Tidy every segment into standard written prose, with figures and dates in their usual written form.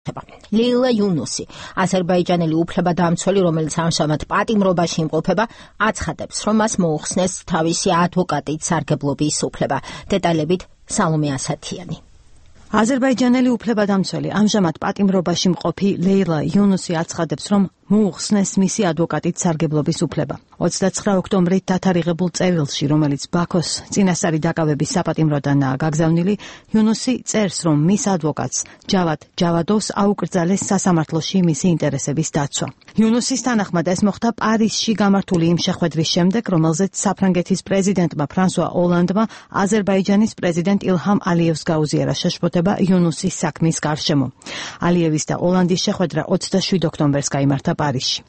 ლეილა იუნუსი, აზერბაიჯანელი უფლებადამცველი, რომელიც ამჟამად პატიმრობაში იმყოფება, აცხადებს, რომ მას მოუხსნეს თავისი ადვოკატით სარგებლობის უფლება. დეტალებით სალომე ასათიანი. აზერბაიჯანელი უფლებადამცველი, ამჟამად პატიმრობაში მყოფი ლეილა იუნუსი აცხადებს, რომ მოუხსნეს მისი ადვოკატით სარგებლობის უფლება. 29 ოქტომბრით დათარიღებულ წერილში, რომელიც ბაქოს წინასწარი დაკავების საპატიმროდანაა გაგზავნილი, იუნუსი წერს, რომ მის ადვოკატს ჯავად ჯავადოვს აუკრძალეს სასამართლოში მისი ინტერესების დაცვა. იუნუსის თანახმად ეს მოხდა პარიზში გამართული იმ შეხვედრის შემდეგ, რომელზეც საფრანგეთის პრეზიდენტმა ფრანსუა ოლანდმა აზერბაიჯანის პრეზიდენტ ილჰამ ალიევს გაუზიარა შეშფოთება იუნუსის საქმის გარშემო. ალიევის და ოლანდის შეხვედრა 27 ოქტომბერს გაიმართა პარიზში.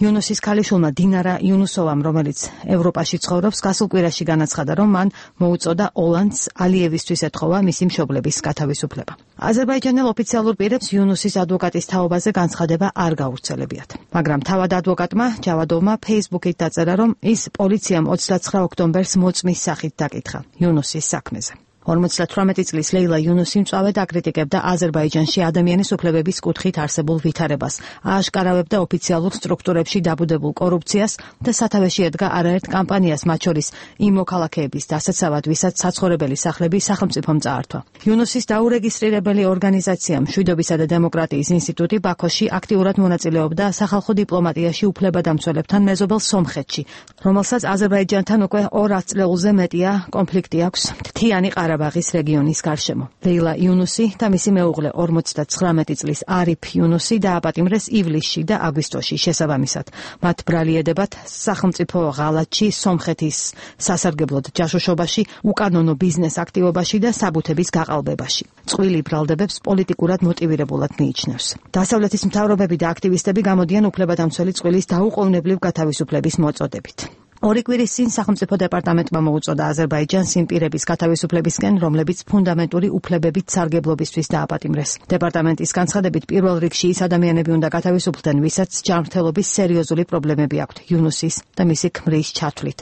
იუნუსის ქალიშვილმა დინარა იუნუსოვამ, რომელიც ევროპაში ცხოვრობს, გასულ კვირაში განაცხადა, რომ მან მოუწოდა ოლანდს ალიევისთვის ეთხოვა მისი მშობლების გათავისუფლება. აზერბაიჯანელ ოფიციალურ პირებს იუნუსის ადვოკატის თაობაზე განცხადება არ გავრცელებიათ. მაგრამ თავად ადვოკატმა ჯავადოვმა ფეისბუქით დაწერა, რომ ის პოლიციამ 29 ოქტომბერს მოწმის სახით დაკითხა იუნუსის საქმეზე. 58 წლის ლეილა იუნუსი მწვავედ აკრიტიკებდა აზერბაიჯანში ადამიანის უფლებების კუთხით არსებულ ვითარებას, ააშკარავებდა ოფიციალურ სტრუქტურებში დაბუდებულ კორუფციას და სათავეში ედგა არაერთ კამპანიას, მათ შორის იმ მოქალაქეების დასაცავად, ვისაც საცხოვრებელი სახლები სახელმწიფომ წაართვა. იუნუსის დაურეგისტრირებელი ორგანიზაცია მშვიდობისა და დემოკრატიის ინსტიტუტი ბაქოში აქტიურად მონაწილეობდა სახალხო დიპლომატიაში უფლებადამცველებთან მეზობელ სომხეთში, რომელსაც აზერბაიჯანთან უკვე 200 წლზე მეტია კონფლიქტი აქვს მთიანი ყარაბაღის რეგიონის გარშემო. ლეილა იუნუსი და მისი მეუღლე 59 წლის არიფ იუნუსი დააპატიმრეს ივლისში და აგვისტოში შესაბამისად. მათ ბრალი ედებათ სახელმწიფო ღალატში, სომხეთის სასარგებლოდ ჯაშუშობაში, უკანონო ბიზნეს აქტივობაში და საბუთების გაყალბებაში. წყვილი ბრალდებებს პოლიტიკურად მოტივირებულად მიიჩნევს. დასავლეთის მთავრობები და აქტივისტები გამოდიან უფლებადამცველი წვილის დაუყოვნებლივ გათავისუფლების მოწოდებით. 2 კვირის წინ სახელმწიფო დეპარტამენტმა მოუწოდა აზერბაიჯანს იმ პირების გათავისუფლებისკენ, რომლებიც ფუნდამენტური უფლებებით სარგებლობისთვის დააპატიმრეს. დეპარტამენტის განცხადებით, პირველ რიგში ის ადამიანები უნდა გათავისუფლდნენ, ვისაც ჯანმრთელობის სერიოზული პრობლემები აქვთ იუნუსის და მისი ქმრის ჩათვლით.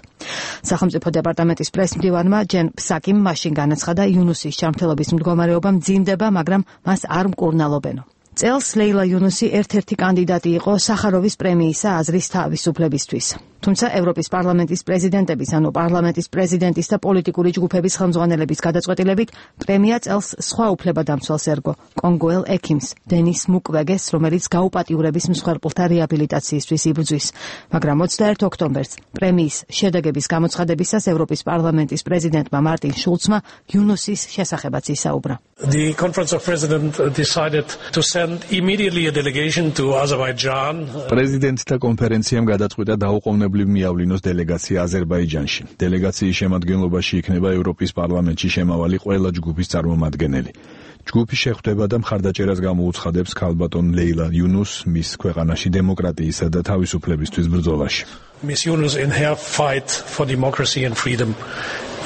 სახელმწიფო დეპარტამენტის პრესმდივანმა ჯენ ფსაკიმ მაშინ განაცხადა, იუნუსის ჯანმრთელობის მდგომარეობა მძიმდება, მაგრამ მას არ მკურნალობენო. წელს ლეილა იუნუსი ერთ-ერთი კანდიდატი იყო სახაროვის პრემიისა აზრის თავისუფლებისთვის. თუმცა ევროპის პარლამენტის პრეზიდენტების, ანუ პარლამენტის პრეზიდენტის და პოლიტიკური ჯგუფების ხელმძღვანელების გადაწყვეტილებით პრემია წელს სხვა უფლებადამცველს ერგო, კონგოელ ექიმს, დენის მუკვეგეს, რომელიც გაუპატიურების მსხვერპლთა რეაბილიტაციისთვის იბრძვის. მაგრამ 21 ოქტომბერს პრემიის შედეგების გამოცხადებისას ევროპის პარლამენტის პრეზიდენტმა მარტინ შულცმა იუნუსის შესახებაც ისაუბრა. The Conference of Presidents decided to send immediately a delegation to Azerbaijan. პრეზიდენტთა კონფერენციამ გადაწყვიტა დაუყოვნებლივ მიავლინოს დელეგაცია აზერბაიჯანში. დელეგაციის შემადგენლობაში იქნება ევროპის პარლამენტში შემავალი ყველა ჯგუფის წარმომადგენელი. ჯგუფი შეხვდება და მხარდაჭერას გამოუცხადებს ქალბატონ ლეილა იუნუს მის ქვეყანაში დემოკრატიისა და თავისუფლებისთვის ბრძოლაში. Miss Yunus in her fight for democracy and freedom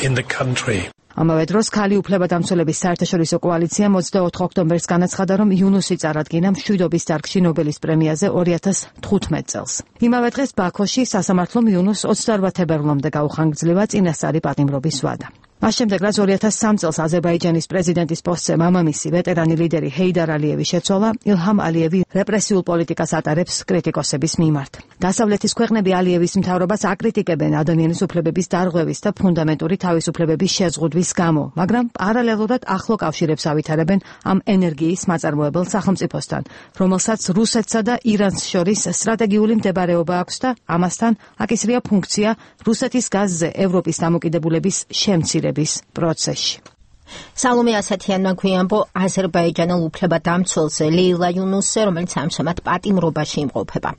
in the country. ამავე დროს ქალი უფლებადამცველების საერთაშორისო კოალიციამ 24 ოქტომბერს განაცხადა, რომ იუნუსი წარადგინა მშვიდობის დარგში ნობელის პრემიაზე 2015 წელს. იმავე დღეს ბაქოში სასამართლომ იუნუს 28 თებერვლამდე გაუხანგრძლива წინასწარი პატიმრობის ვადა. მას შემდეგ, რაც 2003 წელს აზერბაიჯანის პრეზიდენტის პოსტზე მამამისი ვეტერანი ლიდერი ჰეიდარ ალიევი შეცვალა, ილჰამ ალიევი რეპრესიულ პოლიტიკას ატარებს კრიტიკოსების მიმართ. დასავლეთის ქვეყნები ალიევის მთავრობას აკრიტიკებენ ადამიანის უფლებების დარღვევის და ფუნდამენტური თავისუფლებების შეზღუდვის გამო, მაგრამ პარალელურად ახლო კავშირებს ავითარებენ ამ ენერგიის მაწარმოებელ სახელმწიფოსთან, რომელსაც რუსეთსა და ირანს შორის სტრატეგიული მდებარეობა აქვს და ამასთან აკისრია ფუნქცია რუსეთის გაზზე ევროპის დამოკიდებულების შემცირების პროცესში. სალომე ასათიანმა გვიანბო აზერბაიჯანელ უფლებადამცველზე ლეილა იუნუსზე, რომელიც ამჟამად პატიმრობაში იმყოფება.